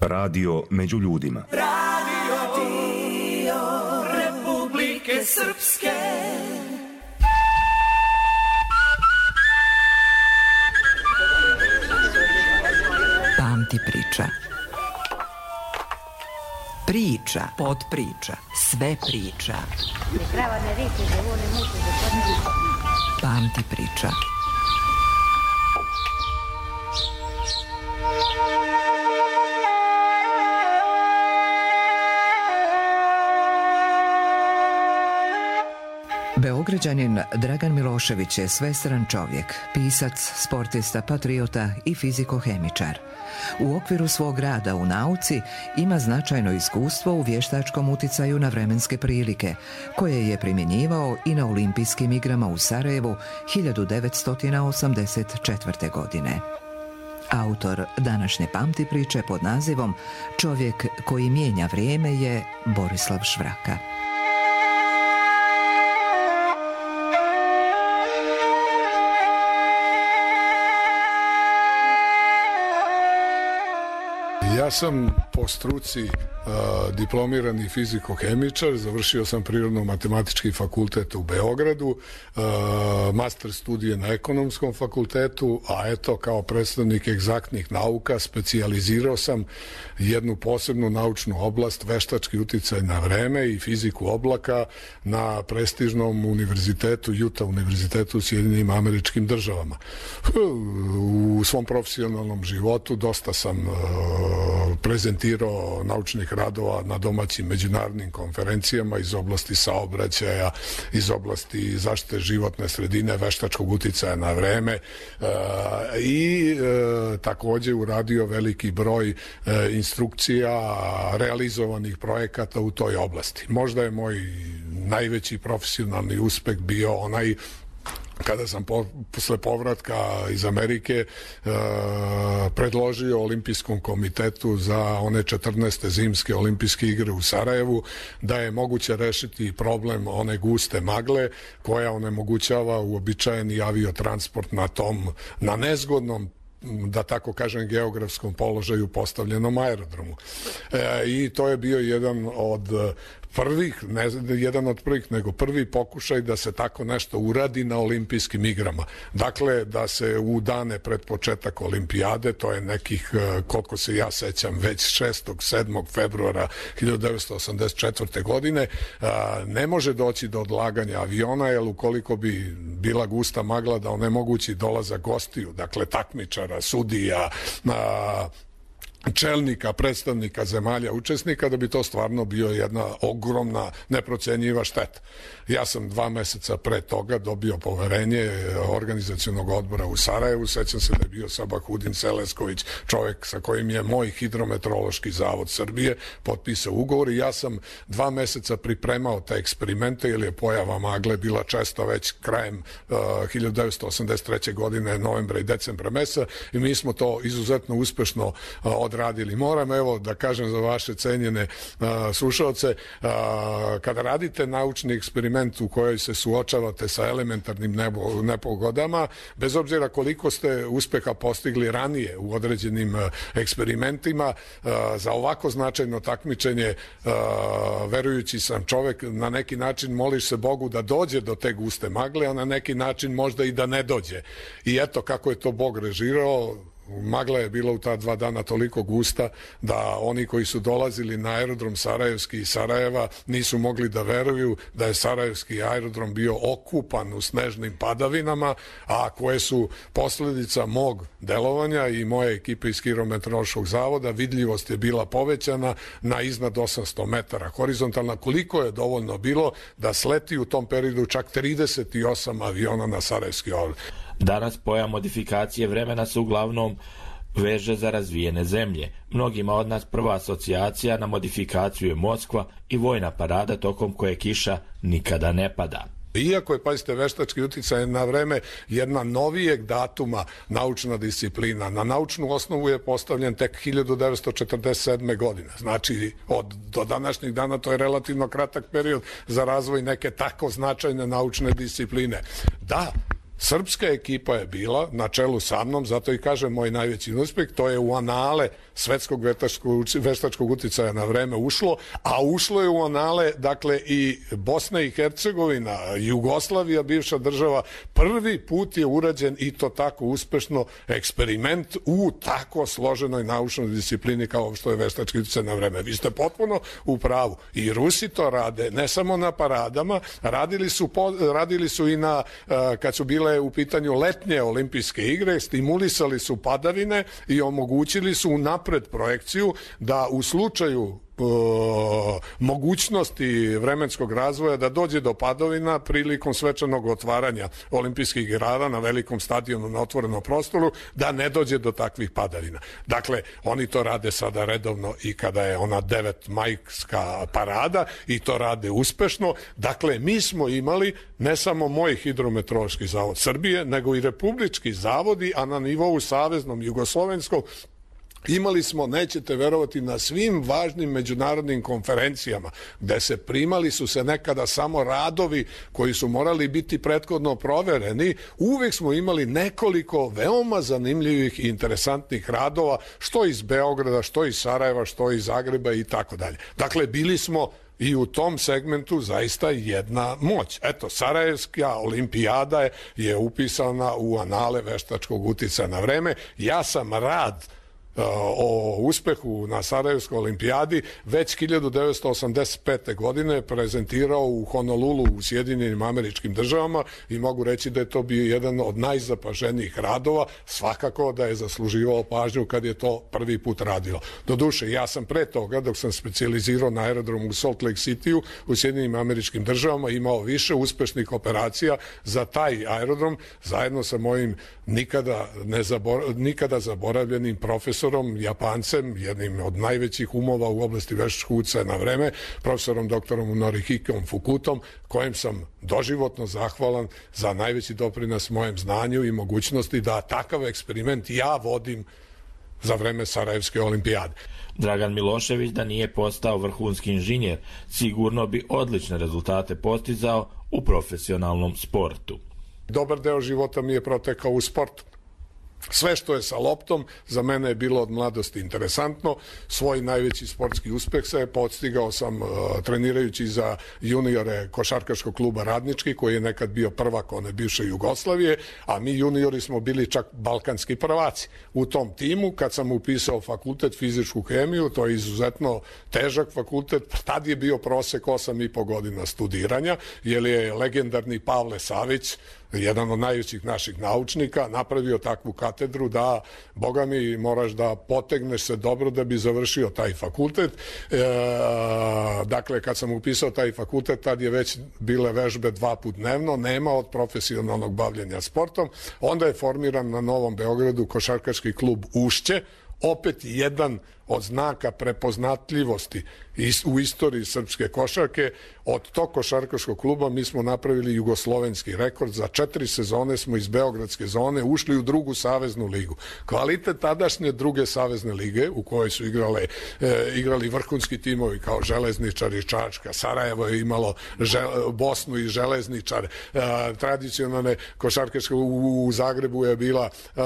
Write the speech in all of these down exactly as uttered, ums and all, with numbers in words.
Radio među ljudima. Radio Republike Srpske. Pamti priča. Priča, podpriča, sve priča. Pamti priča. Beograđanin Dragan Milošević je svestran čovjek, pisac, sportista, patriota i fizikohemičar. U okviru svog rada u nauci ima značajno iskustvo u vještačkom uticaju na vremenske prilike, koje je primjenjivao i na olimpijskim igrama u Sarajevu hiljadu devetsto osamdeset četvrte. godine. Autor današnje pamti priče pod nazivom Čovjek koji mijenja vrijeme je Borislav Švraka. Ja sam po struci uh, diplomirani fizikohemičar, završio sam Prirodno-matematički fakultet u Beogradu, uh, master studije na Ekonomskom fakultetu, a eto kao predstavnik egzaktnih nauka specijalizirao sam jednu posebnu naučnu oblast, veštački uticaj na vreme i fiziku oblaka na prestižnom univerzitetu, Utah univerzitetu u Sjedinjenim Američkim Državama. U svom profesionalnom životu dosta sam uh, prezentirao naučnih radova na domaćim međunarodnim konferencijama iz oblasti saobraćaja, iz oblasti zaštite životne sredine, veštačkog uticaja na vreme e, i e, također uradio veliki broj e, instrukcija, realizovanih projekata u toj oblasti. Možda je moj najveći profesionalni uspeh bio onaj kada sam po, posle povratka iz Amerike e, predložio Olimpijskom komitetu za one četrnaeste zimske olimpijske igre u Sarajevu da je moguće rešiti problem one guste magle koja onemogućava uobičajeni aviotransport na tom, na nezgodnom, da tako kažem, geografskom položaju postavljenom aerodromu. E, I to je bio jedan od prvih, ne jedan od prvih, nego prvi pokušaj da se tako nešto uradi na olimpijskim igrama. Dakle, da se u dane pred početak olimpijade, to je nekih, koliko se ja sećam, već šestog sedmog februara hiljadu devetsto osamdeset četvrte. godine, ne može doći do odlaganja aviona, jer ukoliko bi bila gusta magla da onemogući dolazak gostiju, dakle takmičara, sudija, čelnika, predstavnika zemalja učesnika, da bi to stvarno bio jedna ogromna, neprocenjiva šteta. Ja sam dva meseca pre toga dobio poverenje organizacionog odbora u Sarajevu, sećam se da je bio Sabahudin Selesković, čovjek sa kojim je moj hidrometeorološki zavod Srbije potpisao ugovor i ja sam dva meseca pripremao te eksperimente, jer je pojava magle bila često već krajem uh, hiljadu devetsto osamdeset treće. godine, novembra i decembra meseca, i mi smo to izuzetno uspešno uh, odradili. Moram evo da kažem za vaše cenjene uh, slušalce, uh, kada radite naučni eksperiment u kojoj se suočavate sa elementarnim nebo, nepogodama, bez obzira koliko ste uspeha postigli ranije u određenim uh, eksperimentima, uh, za ovako značajno takmičenje, uh, verujući sam čovek, na neki način moliš se Bogu da dođe do te guste magle, a na neki način možda i da ne dođe. I eto kako je to Bog režirao. Magla je bila u ta dva dana toliko gusta da oni koji su dolazili na aerodrom Sarajevski iz Sarajeva nisu mogli da veruju da je Sarajevski aerodrom bio okupan u snežnim padavinama, a koje su posljedica mog delovanja i moje ekipe iz Hidrometeorološkog zavoda. Vidljivost je bila povećana na iznad osamsto metara horizontalna, koliko je dovoljno bilo da sleti u tom periodu čak trideset osam aviona na Sarajevski aerodrom. Danas pojam modifikacije vremena se uglavnom veže za razvijene zemlje. Mnogima od nas prva asocijacija na modifikaciju je Moskva i vojna parada tokom koje kiša nikada ne pada. Iako je, pazite, veštački uticaj na vreme jedna novijeg datuma naučna disciplina, na naučnu osnovu je postavljen tek hiljadu devetsto četrdeset sedme. godine. Znači, od, do današnjih dana to je relativno kratak period za razvoj neke tako značajne naučne discipline. Da, srpska ekipa je bila na čelu sa mnom, zato i kažem moj najveći uspeh, to je u anale svetskog veštačkog uticaja na vreme ušlo, a ušlo je u anale, dakle, i Bosna i Hercegovina, Jugoslavija, bivša država, prvi put je urađen i to tako uspešno eksperiment u tako složenoj naučnoj disciplini kao što je veštački uticaj na vreme. Vi ste potpuno u pravu. I Rusi to rade, ne samo na paradama, radili su, po, radili su i na, kad su bile u pitanju letnje olimpijske igre, stimulisali su padavine i omogućili su unapred projekciju da u slučaju mogućnosti vremenskog razvoja da dođe do padavina prilikom svečanog otvaranja olimpijskih igara na velikom stadionu na otvorenom prostoru, da ne dođe do takvih padavina. Dakle, oni to rade sada redovno i kada je ona devetmajska parada i to rade uspešno. Dakle, mi smo imali ne samo moj hidrometeorološki zavod Srbije, nego i republički zavodi, a na nivou saveznom jugoslovenskom imali smo, nećete verovati, na svim važnim međunarodnim konferencijama gde se primali su se nekada samo radovi koji su morali biti prethodno provereni, uvek smo imali nekoliko veoma zanimljivih i interesantnih radova, što iz Beograda, što iz Sarajeva, što iz Zagreba i tako dalje. Dakle, bili smo i u tom segmentu zaista jedna moć. Eto, Sarajevska olimpijada je, je upisana u anale veštačkog uticaja na vreme. Ja sam rad o uspehu na Sarajevskoj olimpijadi već hiljadu devetsto osamdeset pete. godine prezentirao u Honolulu u Sjedinjenim Američkim Državama i mogu reći da je to bio jedan od najzapaženijih radova, svakako da je zasluživao pažnju kad je to prvi put radilo. Doduše, ja sam pre toga, dok sam specijalizirao na aerodromu u Salt Lake Cityu u Sjedinjenim Američkim Državama, imao više uspešnih operacija za taj aerodrom, zajedno sa mojim nikada, ne zabor, nikada zaboravljenim profesorom Japancem, jednim od najvećih umova u oblasti veštačkog uticaja na vreme, profesorom doktorom Norihikom Fukutom, kojem sam doživotno zahvalan za najveći doprinos mojem znanju i mogućnosti da takav eksperiment ja vodim za vreme Sarajevske olimpijade. Dragan Milošević da nije postao vrhunski inženjer, sigurno bi odlične rezultate postizao u profesionalnom sportu. Dobar deo života mi je protekao u sportu. Sve što je sa loptom za mene je bilo od mladosti interesantno. Svoj najveći sportski uspeh se podstigao sam uh, trenirajući za juniore košarkaškog kluba Radnički, koji je nekad bio prvak one bivše Jugoslavije, a mi juniori smo bili čak balkanski prvaci. U tom timu, kad sam upisao fakultet fizičku hemiju, to je izuzetno težak fakultet, tad je bio prosek osam i po godina studiranja, jer je legendarni Pavle Savić, jedan od najvećih naših naučnika, napravio takvu katedru da, boga mi, moraš da potegneš se dobro da bi završio taj fakultet. E, dakle, kad sam upisao taj fakultet, tad je već bile vežbe dva put dnevno, nema od profesionalnog bavljenja sportom. Onda je formiran na Novom Beogradu košarkaški klub Ušće, opet jedan od znaka prepoznatljivosti u istoriji srpske košarke. Od tog košarkaškog kluba mi smo napravili jugoslovenski rekord. Za četiri sezone smo iz beogradske zone ušli u drugu saveznu ligu. Kvalitet tadašnje druge savezne lige, u kojoj su igrale, e, igrali vrhunski timovi kao Železničar i Čačka, Sarajevo je imalo žel, Bosnu i Železničar, e, tradicionalne košarkaške u, u Zagrebu je bila e,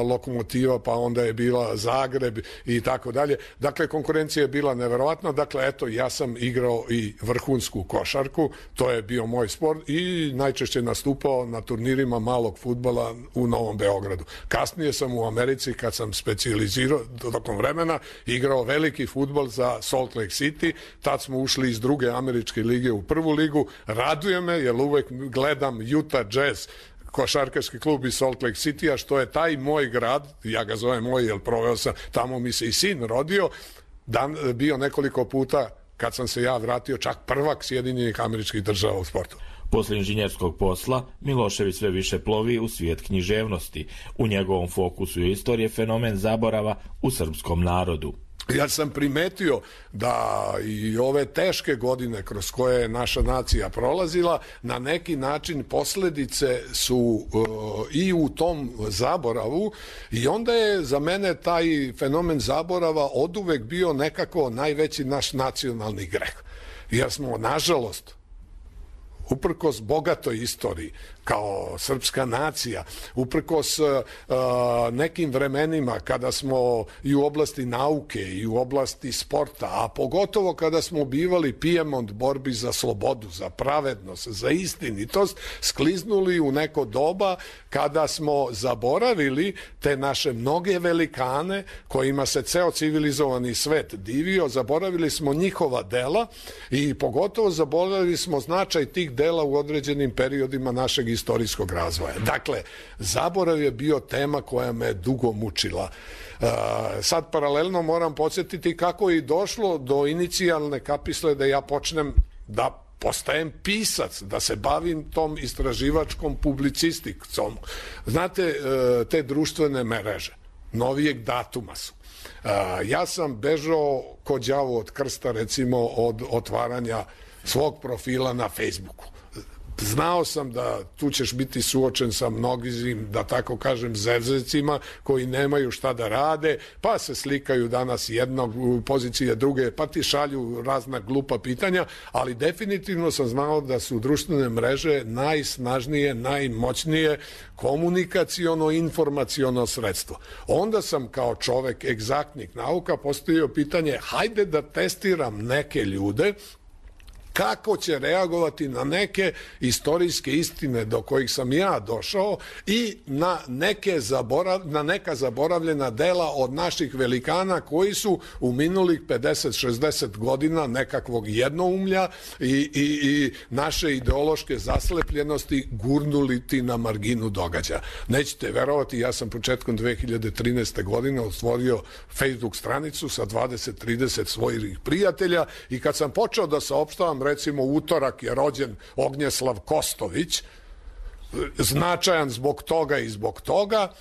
Lokomotiva, pa onda je bila Zagreb i tako dalje. Dakle, konkurencija je bila neverovatna. Dakle, eto, ja sam igrao i vrhunsku košarku, to je bio moj sport i najčešće nastupao na turnirima malog fudbala u Novom Beogradu. Kasnije sam u Americi, kad sam specijalizirao tokom vremena, igrao veliki fudbal za Salt Lake City, tad smo ušli iz druge američke lige u prvu ligu. Raduje me, jer uvek gledam Utah Jazz, košarkaški klub iz Salt Lake City-a, što je taj moj grad, ja ga zovem moj, jer proveo sam, tamo mi se i sin rodio, dan, bio nekoliko puta, kad sam se ja vratio, čak prvak Sjedinjenih Američkih Država u sportu. Posle inženjerskog posla, Milošević sve više plovi u svijet književnosti. U njegovom fokusu je istorije fenomen zaborava u srpskom narodu. Ja sam primetio da i ove teške godine kroz koje je naša nacija prolazila, na neki način posledice su uh, i u tom zaboravu, i onda je za mene taj fenomen zaborava oduvek bio nekako najveći naš nacionalni greh. Jer smo, nažalost, uprkos bogatoj istoriji, kao srpska nacija, uprkos uh, nekim vremenima kada smo i u oblasti nauke i u oblasti sporta, a pogotovo kada smo bivali Pijemont borbi za slobodu, za pravednost, za istinitost, skliznuli u neko doba kada smo zaboravili te naše mnoge velikane kojima se ceo civilizovani svet divio, zaboravili smo njihova dela i pogotovo zaboravili smo značaj tih dela u određenim periodima našeg istorijskog razvoja. Dakle, zaborav je bio tema koja me dugo mučila. Uh, sad paralelno moram podsjetiti kako je i došlo do inicijalne kapisle da ja počnem da postajem pisac, da se bavim tom istraživačkom publicistikcom. Znate, uh, te društvene mreže novijeg datuma su. Uh, ja sam bežao ko đavo od krsta, recimo, od otvaranja svog profila na Facebooku. Znao sam da tu ćeš biti suočen sa mnogim, da tako kažem, zevzecima koji nemaju šta da rade, pa se slikaju danas jednog u pozicije druge, pa ti šalju razna glupa pitanja, ali definitivno sam znao da su društvene mreže najsnažnije, najmoćnije komunikaciono-informaciono sredstvo. Onda sam kao čovek egzaktnih nauka postavio pitanje, hajde da testiram neke ljude kako će reagovati na neke istorijske istine do kojih sam ja došao i na, neke zaborav, na neka zaboravljena dela od naših velikana koji su u minulih pedeset šezdeset godina nekakvog jednoumlja i, i, i naše ideološke zaslepljenosti gurnuli ti na marginu događaja. Nećete verovati, ja sam početkom dve hiljade trinaeste. godine otvorio Facebook stranicu sa dvadeset trideset svojih prijatelja i kad sam počeo da saopštavam, recimo utorak je rođen Ognjeslav Kostović, značajan zbog toga i zbog toga,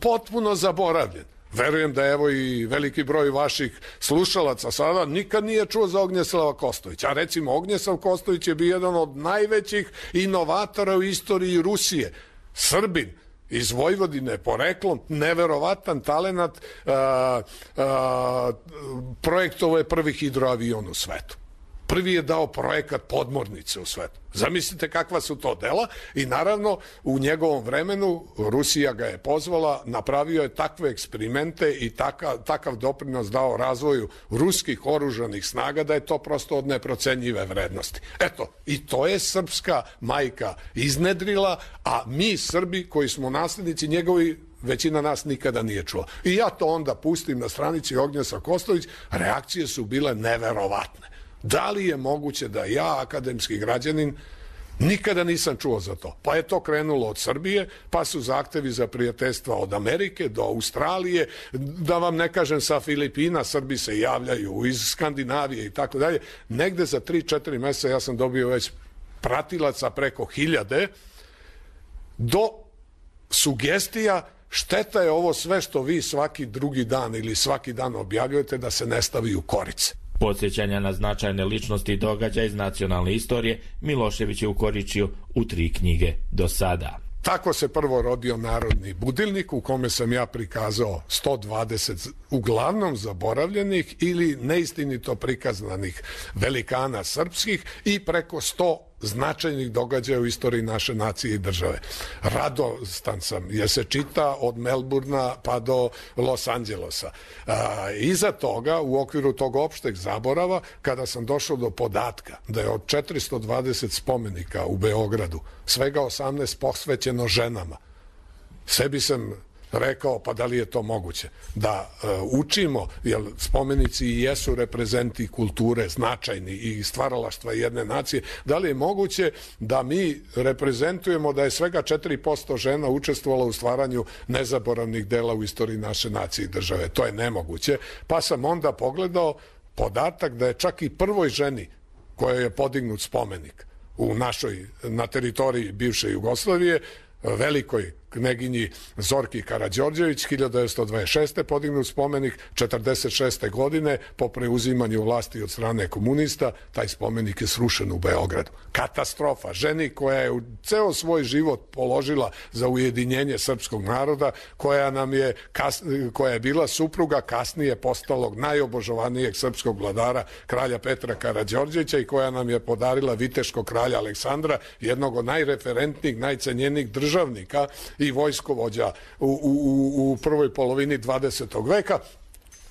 potpuno zaboravljen. Verujem da evo i veliki broj vaših slušalaca sada nikad nije čuo za Ognjeslava Kostovića. A recimo Ognjeslav Kostović je bio jedan od najvećih inovatora u istoriji Rusije. Srbin, iz Vojvodine poreklom, neverovatan talenat, projektovao je prvi hidroavion u svetu. Prvi je dao projekat podmornice u svetu. Zamislite kakva su to dela i naravno u njegovom vremenu Rusija ga je pozvala, napravio je takve eksperimente i takav, takav doprinos dao razvoju ruskih oružanih snaga da je to prosto od neprocenjive vrednosti. Eto, i to je srpska majka iznedrila, a mi Srbi koji smo naslednici njegovi, većina nas nikada nije čula. I ja to onda pustim na stranici Ognjeslav Kostović, reakcije su bile neverovatne. Da li je moguće da ja, akademski građanin, nikada nisam čuo za to? Pa je to krenulo od Srbije, pa su zahtevi za prijateljstva od Amerike do Australije, da vam ne kažem sa Filipina, Srbi se javljaju iz Skandinavije i tako dalje. Negde za tri četiri meseca ja sam dobio već pratilaca preko hiljade, do sugestija šteta je ovo sve što vi svaki drugi dan ili svaki dan objavljujete da se ne stavi u korice. Podsjećanja na značajne ličnosti i događaja iz nacionalne istorije Milošević je ukoričio u tri knjige do sada. Tako se prvo rodio Narodni budilnik u kome sam ja prikazao sto dvadeset uglavnom zaboravljenih ili neistinito prikazanih velikana srpskih i preko sto značajnih događaja u istoriji naše nacije i države. Radostan sam jer se čita od Melburna pa do Los Angelosa. A, iza toga, u okviru tog opšteg zaborava, kada sam došao do podatka da je od četiristo dvadeset spomenika u Beogradu svega osamnaest posvećeno ženama, sebi sam rekao, pa da li je to moguće da uh, učimo, jer spomenici i jesu reprezenti kulture značajni i stvaralaštva jedne nacije, da li je moguće da mi reprezentujemo da je svega četiri posto žena učestvovalo u stvaranju nezaboravnih dela u istoriji naše nacije i države. To je nemoguće. Pa sam onda pogledao podatak da je čak i prvoj ženi kojoj je podignut spomenik u našoj, na teritoriji bivše Jugoslavije, velikoj kneginji Zorki Karađorđević, hiljadu devetsto dvadeset šeste. podignut spomenik, četrdeset šeste. godine po preuzimanju vlasti od strane komunista, taj spomenik je srušen u Beogradu. Katastrofa. Ženi koja je u ceo svoj život položila za ujedinjenje srpskog naroda, koja nam je, koja je bila supruga kasnije postalog najobožovanijeg srpskog vladara, kralja Petra Karađorđevića, i koja nam je podarila viteškog kralja Aleksandra, jednog od najreferentnijih, najcenjenijih državnika i vojskovođa u, u, u prvoj polovini dvadesetog veka.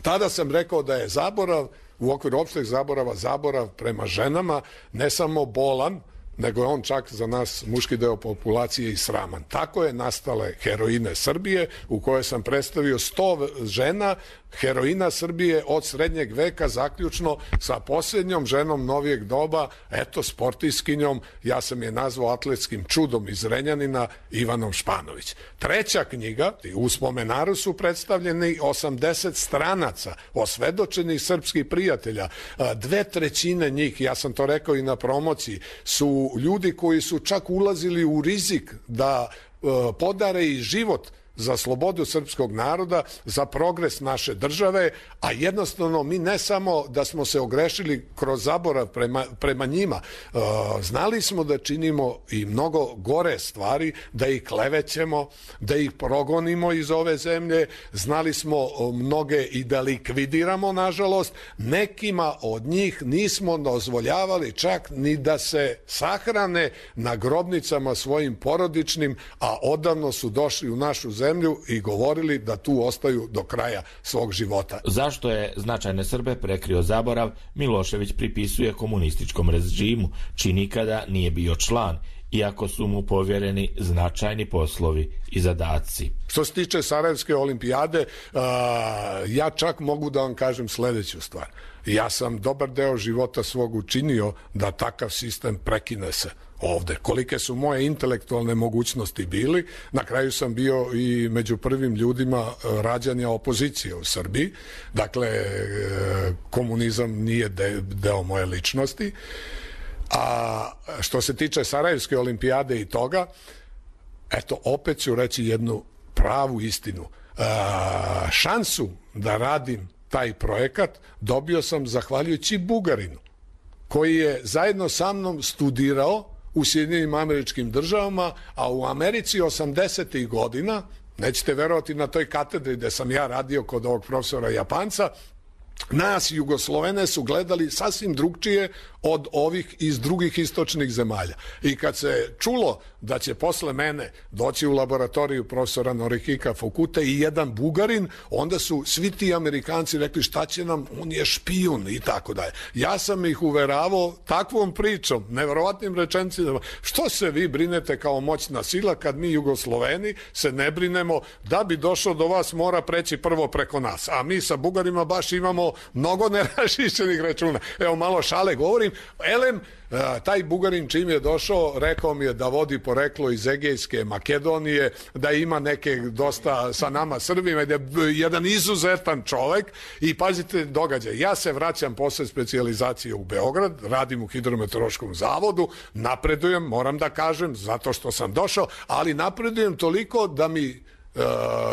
Tada sam rekao da je zaborav, u okviru opšteg zaborava, zaborav prema ženama ne samo bolan, nego je on čak za nas, muški deo populacije, i sraman. Tako je nastale Heroine Srbije, u kojoj sam predstavio sto žena, heroina Srbije od srednjeg veka, zaključno sa posljednjom ženom novijeg doba, eto, sportiskinjom, ja sam je nazvao atletskim čudom iz Renjanina, Ivanom Španović. Treća knjiga, u spomenaru su predstavljeni osamdeset stranaca, osvedočenih srpskih prijatelja. Dve trećine njih, ja sam to rekao i na promociji, su ljudi koji su čak ulazili u rizik da podare i život za slobodu srpskog naroda, za progres naše države, a jednostavno mi ne samo da smo se ogrešili kroz zaborav prema, prema njima, e, znali smo da činimo i mnogo gore stvari, da ih klevećemo, da ih progonimo iz ove zemlje, znali smo mnoge i da likvidiramo, nažalost, nekima od njih nismo dozvoljavali čak ni da se sahrane na grobnicama svojim porodičnim, a odavno su došli u našu zemlju i govorili da tu ostaju do kraja svog života. Zašto je značajne Srbe prekrio zaborav, Milošević pripisuje komunističkom režimu, čiji nikada nije bio član, iako su mu povjereni značajni poslovi i zadaci. Što se tiče Sarajevske olimpijade, ja čak mogu da vam kažem sledeću stvar. Ja sam dobar deo života svog učinio da takav sistem prekine se ovde. Kolike su moje intelektualne mogućnosti bili, na kraju sam bio i među prvim ljudima rađanja opozicije u Srbiji. Dakle, komunizam nije deo moje ličnosti. A što se tiče Sarajevske olimpijade i toga, eto, opet ću reći jednu pravu istinu. A, šansu da radim taj projekat dobio sam zahvaljujući Bugarinu, koji je zajedno sa mnom studirao u Sjedinjenim Američkim Državama, a u Americi osamdesetih godina, nećete verovati, na toj katedri gde sam ja radio kod ovog profesora Japanca, nas Jugoslovene su gledali sasvim drugčije od ovih iz drugih istočnih zemalja. I kad se čulo da će posle mene doći u laboratoriju profesora Norihika Fukute i jedan Bugarin, onda su svi ti Amerikanci rekli šta će nam, on je špijun i tako dalje. Ja sam ih uveravao takvom pričom, neverovatnim rečenicama, što se vi brinete kao moćna sila kad mi Jugosloveni se ne brinemo, da bi došao do vas mora preći prvo preko nas, a mi sa Bugarima baš imamo mnogo nerašišćenih računa. Evo, malo šale govorim. Elem, taj Bugarin čim je došao, rekao mi je da vodi poreklo iz Egejske Makedonije, da ima neke dosta sa nama Srbima, da je jedan izuzetan čovek. I pazite događaj, ja se vraćam posle specijalizacije u Beograd, radim u Hidrometeorološkom zavodu, napredujem, moram da kažem, zato što sam došao, ali napredujem toliko da mi Uh,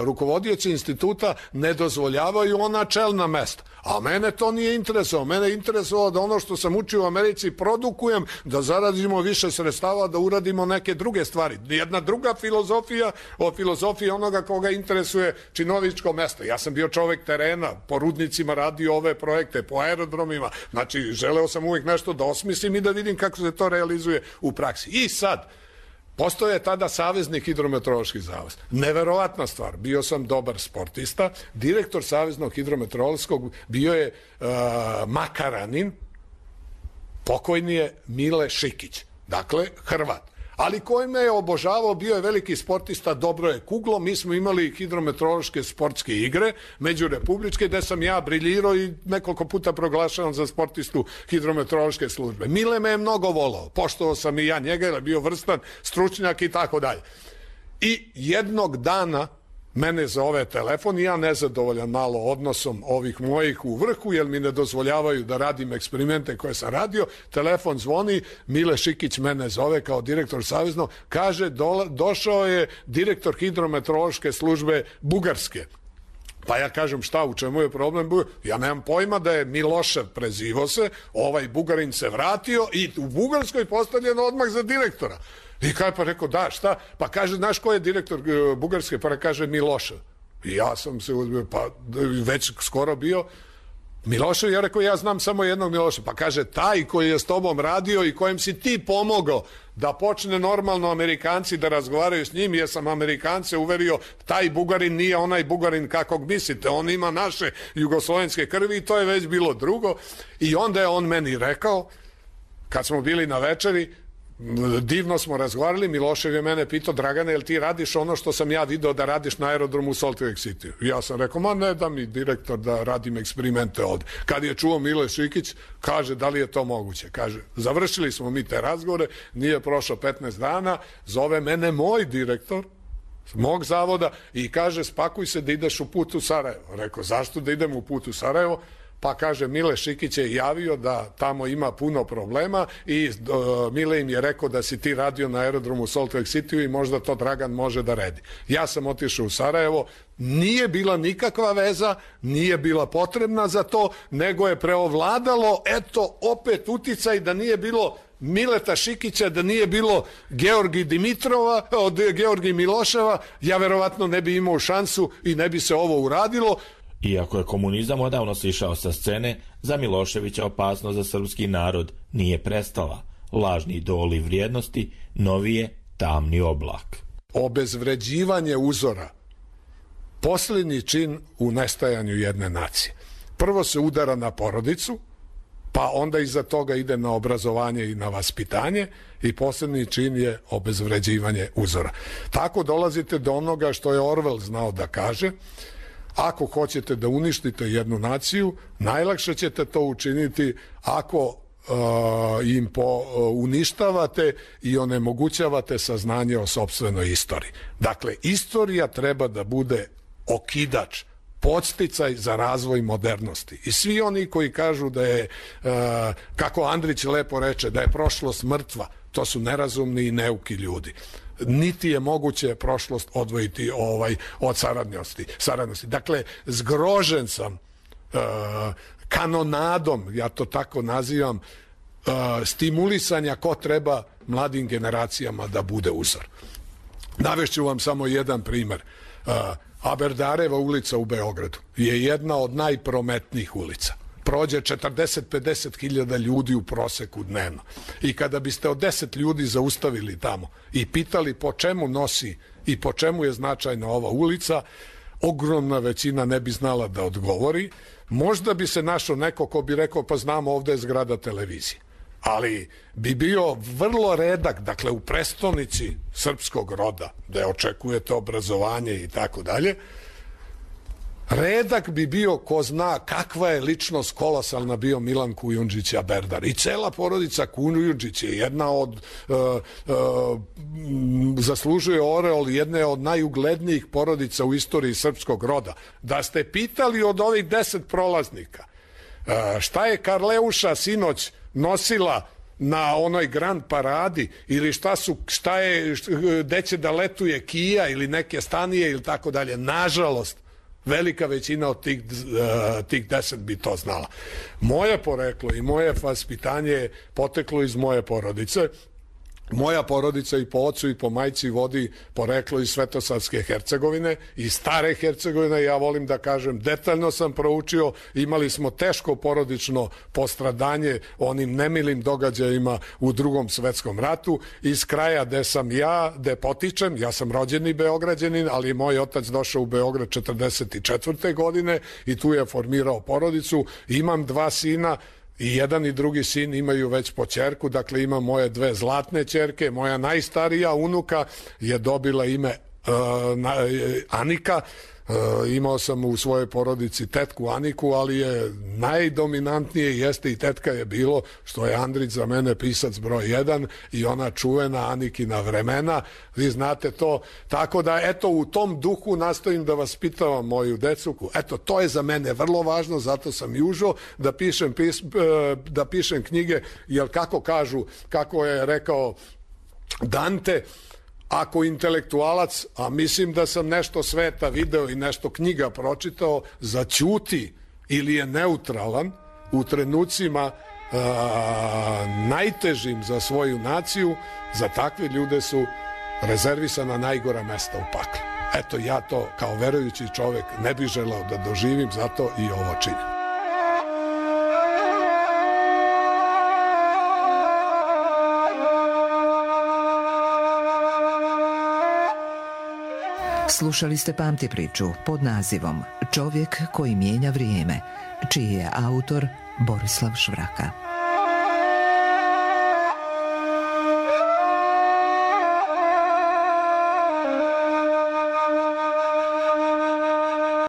rukovodioci instituta ne dozvoljavaju ona čelna mesta. A mene to nije interesovalo. Mene je interesovalo da ono što sam učio u Americi produkujem, da zaradimo više sredstava, da uradimo neke druge stvari. Jedna druga filozofija od filozofije onoga koga interesuje činovničko mesto. Ja sam bio čovek terena, po rudnicima radio ove projekte, po aerodromima. Znači, želeo sam uvijek nešto da osmislim i da vidim kako se to realizuje u praksi. I sad, postoje tada Savezni hidrometeorološki zavod. Neverovatna stvar. Bio sam dobar sportista. Direktor Saveznog hidrometeorološkog bio je uh, Makaranin, pokojni je Mile Šikić. Dakle, Hrvat. Ali koji me je obožavao, bio je veliki sportista, dobro je kuglo. Mi smo imali hidrometeorološke sportske igre, međurepubličke, gde sam ja briljirao i nekoliko puta proglašavam za sportistu hidrometeorološke službe. Mile me je mnogo volao, poštovao sam i ja njega, jer je bio vrstan stručnjak i tako dalje. I jednog dana mene zove telefon i ja nezadovoljan malo odnosom ovih mojih u vrhu, jer mi ne dozvoljavaju da radim eksperimente koje sam radio. Telefon zvoni, Mile Šikić mene zove kao direktor savezno, kaže do, došao je direktor hidrometeorološke službe Bugarske. Pa ja kažem šta, u čemu je problem? Ja nemam pojma da je Milošev prezivo se, ovaj Bugarin se vratio i u Bugarskoj postavljen odmah za direktora. I kaj pa rekao, da, šta? Pa kaže, znaš ko je direktor Bugarske? Pa kaže Milošev. I ja sam se, pa već skoro bio Milošev, ja rekao, ja znam samo jednog Miloševa. Pa kaže, taj koji je s tobom radio i kojem si ti pomogao da počne normalno Amerikanci da razgovaraju s njim, jer sam Amerikance uverio, taj Bugarin nije onaj Bugarin kakvog mislite, on ima naše jugoslovenske krvi i to je već bilo drugo. I onda je on meni rekao, kad smo bili na večeri, divno smo razgovarali, Milošev je mene pitao, Dragane, jel ti radiš ono što sam ja video da radiš na aerodromu u Salt Lake City? Ja sam rekao, ma ne da mi direktor da radim eksperimente ovde. Kad je čuo Mile Šikić, kaže, da li je to moguće? Kaže, završili smo mi te razgovore, nije prošlo petnaest dana, zove mene moj direktor mog zavoda i kaže, spakuj se da ideš u put u Sarajevo. Rekao, zašto da idem u put u Sarajevo? Pa kaže, Mile Šikić je javio da tamo ima puno problema i uh, Mile im je rekao da si ti radio na aerodromu Salt Lake City i možda to Dragan može da redi. Ja sam otišao u Sarajevo, nije bila nikakva veza, nije bila potrebna za to, nego je preovladalo, eto, opet uticaj da nije bilo Mileta Šikića, da nije bilo Georgi Dimitrova, od Georgi Miloševa, ja verovatno ne bi imao šansu i ne bi se ovo uradilo. Iako je komunizam odavno sišao sa scene, za Miloševića opasnost za srpski narod nije prestala. Lažni idoli vrijednosti, novi je tamni oblak. Obezvređivanje uzora, posljednji čin u nestajanju jedne nacije. Prvo se udara na porodicu, pa onda iza toga ide na obrazovanje i na vaspitanje i posljednji čin je obezvređivanje uzora. Tako dolazite do onoga što je Orwell znao da kaže, ako hoćete da uništite jednu naciju, najlakše ćete to učiniti ako uh, im po, uh, uništavate i onemogućavate saznanje o sopstvenoj istoriji. Dakle, istorija treba da bude okidač, podsticaj za razvoj modernosti. I svi oni koji kažu da je, uh, kako Andrić lepo reče, da je prošlost mrtva, to su nerazumni i neuki ljudi. Niti je moguće prošlost odvojiti ovaj od saradnosti. saradnosti. Dakle, zgrožen sam uh, kanonadom, ja to tako nazivam, uh, stimulisanja ko treba mladim generacijama da bude uzor. Navešću vam samo jedan primer. Uh, Aberdareva ulica u Beogradu je jedna od najprometnijih ulica. Prođe četrdeset do pedeset hiljada ljudi u proseku dnevno. I kada biste od deset ljudi zaustavili tamo i pitali po čemu nosi i po čemu je značajna ova ulica, ogromna većina ne bi znala da odgovori. Možda bi se našao neko ko bi rekao, pa znamo, ovde je zgrada televizije. Ali bi bio vrlo redak, dakle u prestonici srpskog roda, da očekujete obrazovanje i tako dalje, redak bi bio ko zna kakva je ličnost kolosalna bio Milan Kujundžić Aberdar. I cela porodica Kujundžić je jedna od, uh, uh, zaslužuje oreol jedne od najuglednijih porodica u istoriji srpskog roda. Da ste pitali od ovih deset prolaznika, uh, šta je Karleuša sinoć nosila na onoj Grand Paradi ili šta su, šta je, gde će da letuje Kija ili neke stanije ili tako dalje, nažalost, velika većina od tih, uh, tih deset bi to znala. Moje poreklo i moje vaspitanje je poteklo iz moje porodice. Moja porodica i po ocu i po majci vodi poreklo iz Svetosavske Hercegovine, iz stare Hercegovine, ja volim da kažem, detaljno sam proučio, imali smo teško porodično postradanje onim nemilim događajima u Drugom svetskom ratu, iz kraja gde sam ja, gde potičem, ja sam rođeni Beograđanin, ali moj otac došao u Beograd četrdeset četvrte godine i tu je formirao porodicu, imam dva sina, i jedan i drugi sin imaju već po ćerku, dakle imam moje dve zlatne ćerke, moja najstarija unuka je dobila ime uh, na, Anika, imao sam u svojoj porodici tetku Aniku, ali je najdominantnije jeste i tetka je bilo što je Andrić za mene pisac broj jedan i ona čuvena Anikina vremena, vi znate to, tako da eto u tom duhu nastojim da vaspitavam moju decu, eto to je za mene vrlo važno, zato sam i užao da pišem, pis, da pišem knjige, jer kako kažu, kako je rekao Dante, ako intelektualac, a mislim da sam nešto sveta video i nešto knjiga pročitao, zaćuti ili je neutralan u trenucima a, najtežim za svoju naciju, za takve ljude su rezervisana najgora mesta u paklu. Eto, ja to kao verujući čovek ne bih želeo da doživim, zato i ovo činim. Slušali ste Pamti priču pod nazivom Čovjek koji mijenja vrijeme, čiji je autor Borislav Švraka.